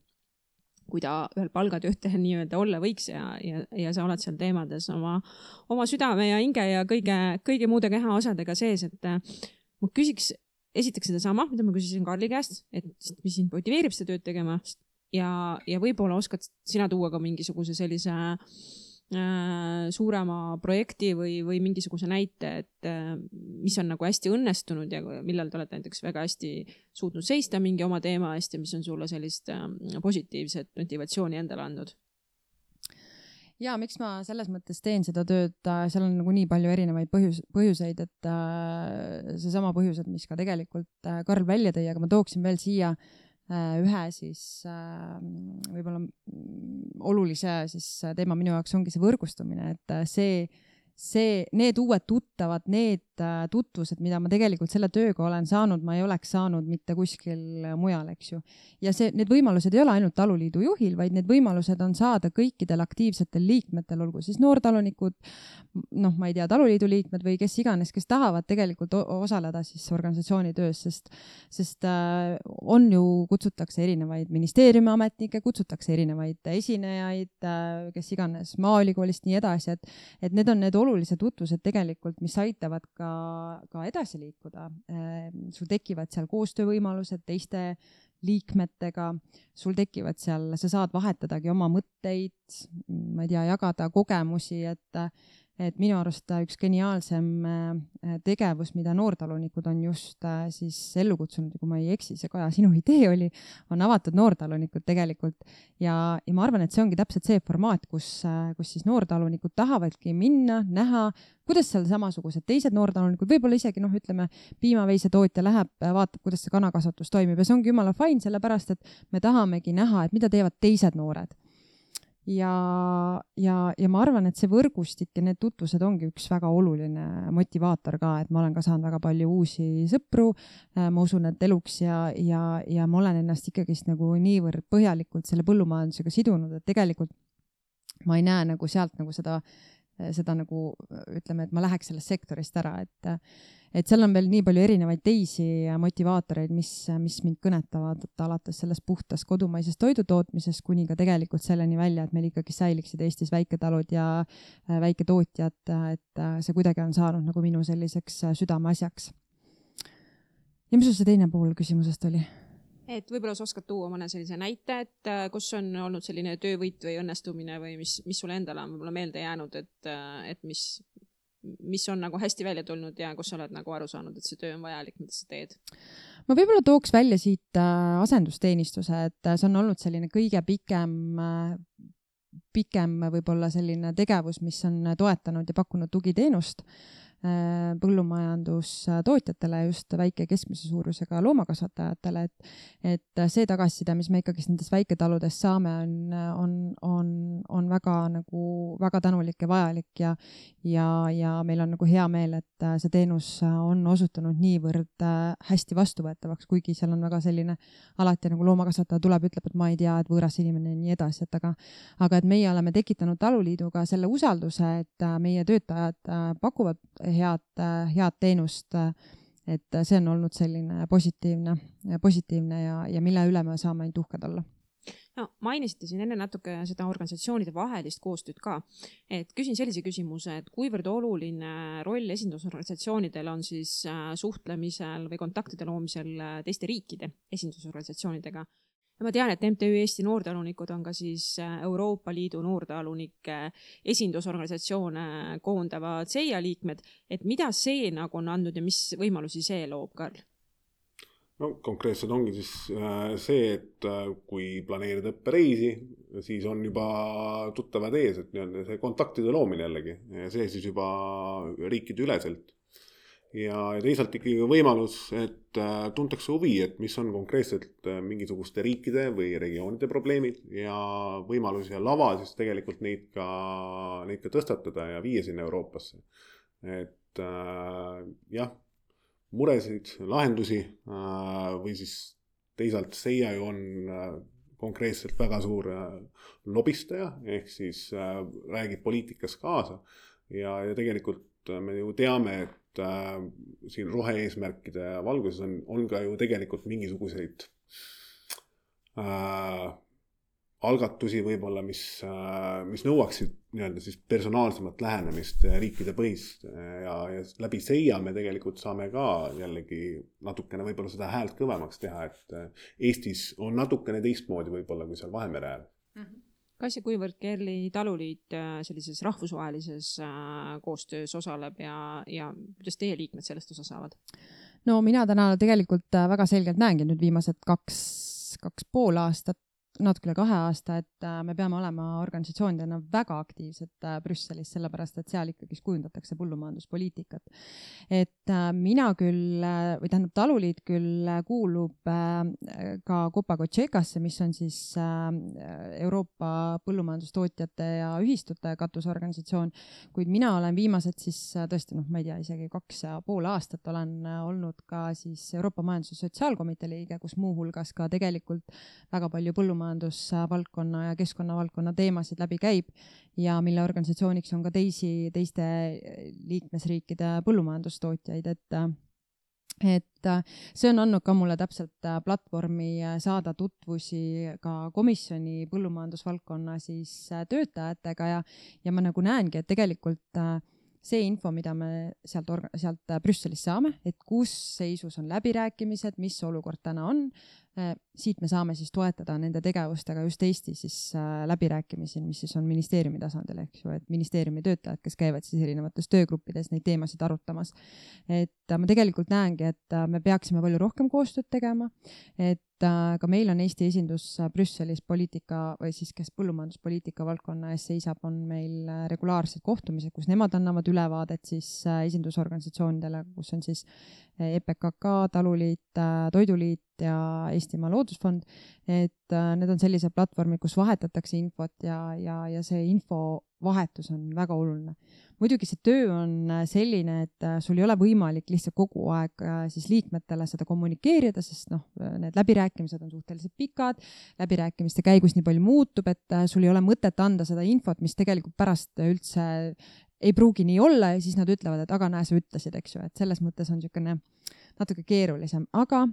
kui ta ühel palgatöötajal nii-öelda olla võiks ja sa oled seal teemades oma südame ja hinge ja kõige muude kehaosadega sees, et ma küsiks esiteks seda sama, mida ma küsisin Karli käest, et mis sind motiveerib seda tööd tegema, ja võib-olla oskad sina tuua ka mingisuguse sellise suurema projekti või mingisuguse näite, et mis on nagu hästi õnnestunud ja millal te olete näiteks väga hästi suutnud seista mingi oma teema eest ja mis on sulle sellist positiivset motivatsiooni endale andnud? Ja miks ma selles mõttes teen seda tööd, seal on nagu nii palju erinevaid põhjuseid, et seesama põhjused, mis ka tegelikult Karl välja tõi, aga ma tooksin veel siia ühe siis võib-olla olulise siis teema minu jaoks ongi see võrgustumine, et need uued tuttavad, need tutvused, mida ma tegelikult selle tööga olen saanud, ma ei oleks saanud mitte kuskil mujal, eks ju. Ja need võimalused ei ole ainult taluliidu juhil, vaid need võimalused on saada kõikidel aktiivsetel liikmetel, olgu siis noortalunikud, ma ei tea, taluliidu liikmed või kes iganes, kes tahavad tegelikult osaleda siis organisatsiooni töös, sest on ju, kutsutakse erinevaid ministeeriumi ametnikke, kutsutakse erinevaid esinejaid, kes iganes maaülikoolist nii edasi, et need on need olulised tutvused tegelikult, mis aitavad ka edasi liikuda. Sul tekivad seal koostöövõimalused teiste liikmetega, sul tekivad seal, sa saad vahetadagi oma mõtteid, ma ei tea, jagada kogemusi, et minu arust üks geniaalsem tegevus, mida noortalunikud on just siis ellu kutsunud, kui ma ei eksi, see Kaja, sinu idee on avatud noortalunikud tegelikult ja ma arvan, et see ongi täpselt see formaat, kus siis noortalunikud tahavadki minna, näha, kuidas seal samasugused teised noortalunikud, võib-olla isegi ütleme, piimaveise tootja läheb, vaatab, kuidas see kanakasvatus toimib ja see ongi jumala fine, sellepärast, et me tahamegi näha, et mida teevad teised noored. Ja ma arvan, et see võrgustik ja need tutvused ongi üks väga oluline motivaator ka, et ma olen ka saanud väga palju uusi sõpru, ma usun, et eluks ja ma olen ennast ikkagist nagu niivõrd põhjalikult selle põllumajandusega sidunud, et tegelikult ma ei näe nagu sealt nagu seda nagu ütleme, et ma läheks sellest sektorist ära, et seal on veel nii palju erinevaid teisi motivaatoreid, mis mind kõnetavad, et alates sellest puhtast kodumaisest toidutootmisest kuni ka tegelikult selleni välja, et meil ikkagi säiliksid Eestis väiketalud ja väiketootjad, et see kuidagi on saanud nagu minu selliseks südameasjaks. Ja mis see teine pool küsimusest oli? Et võib-olla sa oskad tuua mõne sellise näite, et kus on olnud selline töövõit või õnnestumine või mis sulle endale on võib-olla meelde jäänud, et mis on nagu hästi välja tulnud ja kus sa oled nagu aru saanud, et see töö on vajalik, mida sa teed? Ma võib-olla tooks välja siit asendusteenistuse, et see on olnud selline kõige pikem võib-olla selline tegevus, mis on toetanud ja pakkunud tugiteenust põllumajandustootjatele, just väike keskmise suurusega loomakasvatajatele, et see tagasiside, mis me ikkagi nendest väiketaludest saame, on väga tänulik ja vajalik ja meil on nagu hea meel, et see teenus on osutunud niivõrd hästi vastuvõetavaks, kuigi seal on väga selline alati nagu loomakasvataja tuleb, ütleb, et ma ei tea, et võõras inimene ja nii edasi, aga et meie oleme tekitanud taluliiduga selle usalduse, et meie töötajad pakuvad head teenust, et see on olnud selline positiivne ja mille üle me saame ainult uhked olla. No, mainisite siin enne natuke seda organisatsioonide vahelist koostööd ka, et küsin sellise küsimuse, et kuivõrd oluline roll esindusorganisatsioonidel on siis suhtlemisel või kontaktide loomisel teiste riikide esindusorganisatsioonidega. Ja ma tean, et MTÜ Eesti Noortalunikud on ka siis Euroopa Liidu noortalunike esindusorganisatsioone koondava CEIA liikmed, et mida see nagu on andnud ja mis võimalusi see loob, Karl? No konkreetselt ongi siis see, et kui planeerida õppereisi, siis on juba tuttavad ees, et see kontaktide loomine jällegi, see siis juba riikide üleselt. Ja teisalt ikkagi võimalus, et tuntakse huvi, et mis on konkreetselt mingisuguste riikide või regioonide probleemid ja võimalus ja lava siis tegelikult neid ka tõstatada ja viia sinna Euroopasse. Et jah, muresid, lahendusi või siis teisalt CEIA on konkreetselt väga suur lobistaja, ehk siis räägib poliitikas kaasa ja tegelikult me ju teame, et siin rohe-eesmärkide valguses on ka ju tegelikult mingisuguseid algatusi võib-olla, mis nõuaksid siis personaalsemat lähenemist riikide põhist ja läbi CEIA me tegelikult saame ka jällegi natukene võib-olla seda häält kõvemaks teha, et Eestis on natukene teistmoodi võib-olla kui seal Vahemere äärel. Kas ja kuivõrd Kerli taluliit sellises rahvusvahelises koostöös osaleb ja kuidas teie liikmed sellest osa saavad? No mina täna tegelikult väga selgelt näengi nüüd viimased 2,5 aastat, natuke üle 2 aasta, et me peame olema organisatsioonidena väga aktiivsed Brüsselis, sellepärast et seal ikkagi kujundatakse põllumajanduspoliitikat. Et mina küll, või tähendab taluliit küll kuulub ka Copa-Cogecasse, mis on siis Euroopa põllumajandustootjate ja ühistute katusorganisatsioon, kuid mina olen viimased siis tõesti, ma ei tea, isegi 2,5 aastat olen olnud ka siis Euroopa Majandus- ja Sotsiaalkomitee liige, kus muuhulgas ka tegelikult väga palju põllumajandusvaldkonna ja keskkonnavaldkonna teemasid läbi käib ja mille organisatsiooniks on ka teiste liikmesriikide põllumajandustootjaid, et see on andnud ka mulle täpselt platvormi saada tutvusi ka komisjoni põllumajandusvaldkonna siis töötajatega ja ma nagu näengi, et tegelikult see info, mida me sealt Brüsselist saame, et kus seisus on läbirääkimised, mis olukord täna on, siit me saame siis toetada nende tegevustega just Eesti siis läbirääkimisi, mis siis on ministeeriumi tasandil, eks ju, et ministeeriumi töötajad, kes käivad siis erinevates töögruppides neid teemasid arutamas. Et ma tegelikult näengi, et me peaksime palju rohkem koostööd tegema, et ka meil on Eesti esindus Brüsselis poliitika või siis kes põllumajanduspoliitika valdkonna ees seisab, on meil regulaarsed kohtumised, kus nemad annavad ülevaadet siis esindusorganisatsioonidele, kus on siis EPKK, Taluliit, Toiduliit ja Eestimaa Loodusfond, et need on sellised platvormid, kus vahetatakse infot ja see infovahetus on väga oluline. Muidugi see töö on selline, et sul ei ole võimalik lihtsalt kogu aeg siis liikmetele seda kommunikeerida, sest need läbirääkimised on suhteliselt pikad, läbirääkimiste käigus nii palju muutub, et sul ei ole mõtet anda seda infot, mis tegelikult pärast üldse ei pruugi nii olla ja siis nad ütlevad, et aga näe, sa ütlesid, eks ju, et selles mõttes on niisugune natuke keerulisem, aga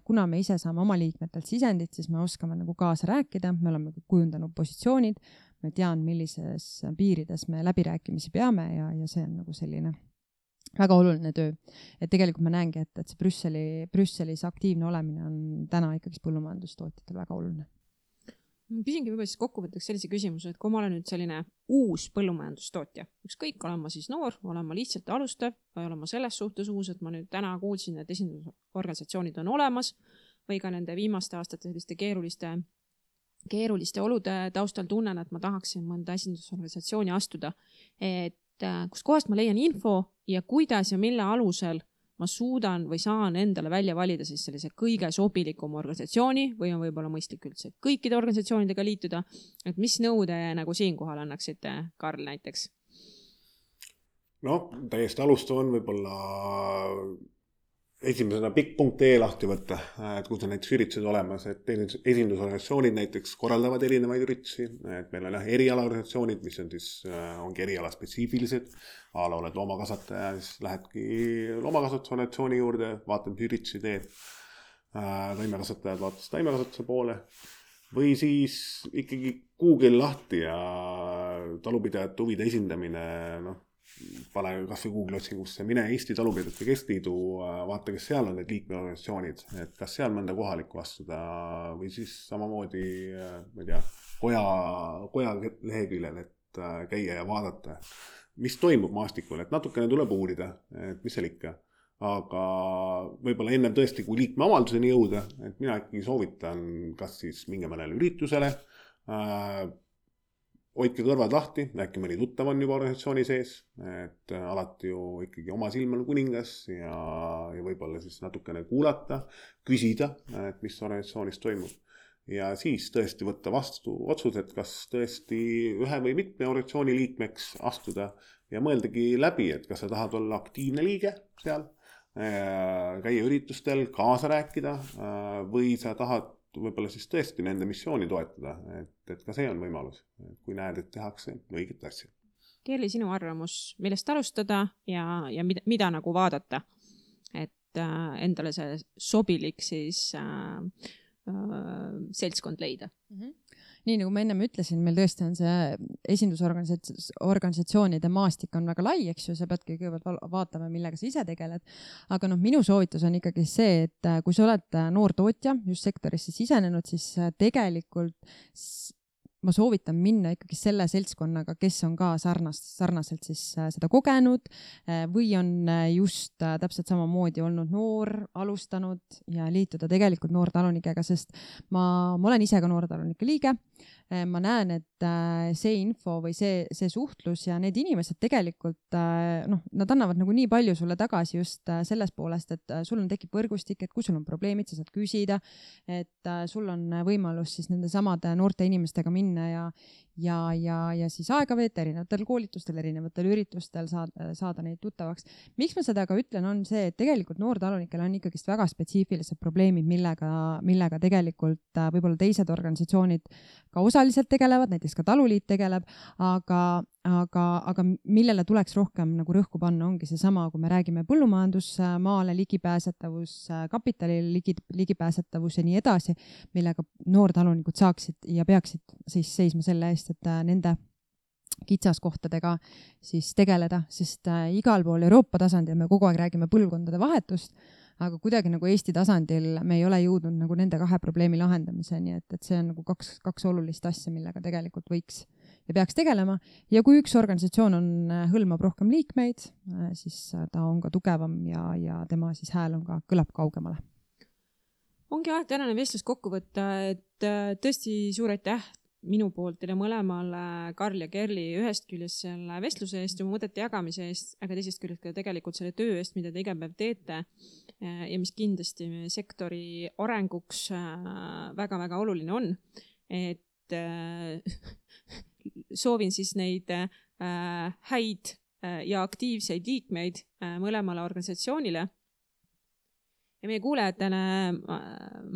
kuna me ise saame oma liikmetelt sisendit, siis me oskame nagu kaasa rääkida, me oleme kujundanud positsioonid, me tean, millises piirides me läbirääkimisi peame ja see on nagu selline väga oluline töö. Et tegelikult ma näengi, et see Brüsselis aktiivne olemine on täna ikkagi põllumajandustootjatel väga oluline. Ma küsingi võib-olla siis kokkuvõtteks sellise küsimuse, et kui ma olen nüüd selline uus põllumajandustootja, ükskõik, olen ma siis noor, olen ma lihtsalt alustav või olen ma selles suhtes uus, et ma nüüd täna kuulsin, et esindusorganisatsioonid on olemas või ka nende viimaste aastate selliste keeruliste olude taustal tunnen, et ma tahaksin mõnda esindusorganisatsiooni astuda, et kus kohast ma leian info ja kuidas ja mille alusel ma suudan või saan endale välja valida siis sellise kõige sobilikum organisatsiooni või on võib-olla mõistlik üldse kõikide organisatsioonidega liituda, et mis nõude nagu siinkohal annaksite, Karl näiteks? No, täiesti alustav on võib-olla esimesena pikk.ee lahti võtta, et kus on näiteks üritused olemas, et esindusorganisatsioonid näiteks korraldavad erinevaid üritusi, et meil on erialaorganisatsioonid, mis on siis, ongi eriala spetsiifilised, oled loomakasvataja, siis lähedki loomakasvatusorganisatsiooni juurde, vaatad, mis üritusi teed, taimekasvatajad vaatad taimekasvatuse poole, või siis ikkagi Google lahti ja talupidajate huvide esindamine, pane kas või Google otsingusse, mine Eesti Talupidajate Keskliidu, vaata, kes seal on need liikmeorganisatsioonid, et kas seal mõnda kohalikku astuda või siis samamoodi, ma ei tea, koja leheküljel, et käia ja vaadata, mis toimub maastikul, et natukene tuleb uurida, et mis seal ikka. Aga võib-olla ennem tõesti, kui liikmeavalduseni jõuda, et mina ikkagi soovitan kas siis minge mõnele üritusele, hoidke kõrvad lahti, äkki mõni tuttav on juba organisatsiooni sees, et alati ju ikkagi oma silm on kuningas ja võib-olla siis natukene kuulata, küsida, et mis organisatsioonis toimub. Ja siis tõesti võtta vastu otsused, kas tõesti ühe või mitme organisatsiooni liikmeks astuda ja mõeldagi läbi, et kas sa tahad olla aktiivne liige seal, käia üritustel, kaasa rääkida või sa tahad võib-olla siis tõesti nende missiooni toetada, et ka see on võimalus, kui näed, et tehakse õiget asja. Kerli, sinu arvamus, millest alustada ja mida nagu vaadata, et endale see sobilik siis seltskond leida? Nii nagu ma ennem ütlesin, meil tõesti on see esindusorganisatsioonide maastik on väga lai, eks ju, sa peadki kõigepealt vaatama, millega sa ise tegeled. Aga minu soovitus on ikkagi see, et kui sa oled noor tootja, just sektorisse sisenenud, siis tegelikult ma soovitan minna ikkagi selle seltskonnaga, kes on ka sarnaselt siis seda kogenud või on just täpselt samamoodi olnud noor, alustanud ja liituda tegelikult noortalunikega, sest ma olen ise ka noortalunike liige. Ma näen, et see info või see suhtlus ja need inimesed tegelikult, nad annavad nagu nii palju sulle tagasi just selles poolest, et sul on tekib võrgustik, et kui sul on probleemid, sa saad küsida, et sul on võimalus siis nende samade noorte inimestega minna ja siis aega veeta erinevatel koolitustel, erinevatel üritustel saada neid tuttavaks. Miks ma seda ka ütlen, on see, et tegelikult noortalunikel on ikkagi väga spetsiifilised probleemid, millega tegelikult võib-olla teised organisatsioonid ka osaliselt tegelevad, näiteks ka taluliit tegeleb, aga millele tuleks rohkem nagu rõhku panna, ongi seesama, kui me räägime põllumajandusmaale ligipääsetavus, kapitalile ligipääsetavus ja nii edasi, millega noortalunikud saaksid ja peaksid siis seisma selle eest, et nende kitsaskohtadega siis tegeleda, sest igal pool Euroopa tasandil me kogu aeg räägime põlvkondade vahetust, aga kuidagi nagu Eesti tasandil me ei ole jõudnud nagu nende kahe probleemi lahendamiseni, et see on nagu kaks olulist asja, millega tegelikult võiks ja peaks tegelema. Ja kui üks organisatsioon hõlmab rohkem liikmeid, siis ta on ka tugevam ja tema siis hääl on ka kõlab kaugemale. Ongi aeg tänane vestlus kokku võtta, et tõesti suur aitäh minu poolt teile mõlemale, Karl ja Kerli, ühest küljest selle vestluse eest ja mõtete jagamise eest, aga teisest küljest ka tegelikult selle töö eest, mida te iga päev teete ja mis kindlasti sektori arenguks väga-väga oluline on. Et soovin siis neid häid ja aktiivseid liikmeid mõlemale organisatsioonile. Ja meie kuulajatele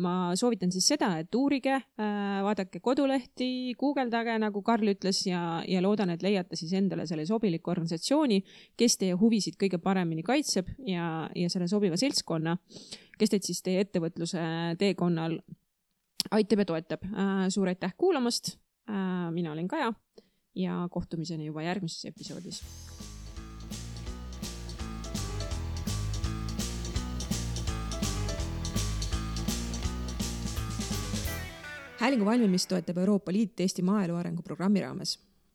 ma soovitan siis seda, et uurige, vaadake kodulehti, guugeldage, nagu Karl ütles, ja loodan, et leiate siis endale selle sobiliku organisatsiooni, kes teie huvisid kõige paremini kaitseb ja selle sobiva seltskonna, kes teid siis teie ettevõtluse teekonnal aitab ja toetab. Suur aitäh kuulamast, mina olen Kaja ja kohtumiseni juba järgmises episoodis. Häälingu valmimist toetab Euroopa Liit Eesti maaelu arengu programmi raames.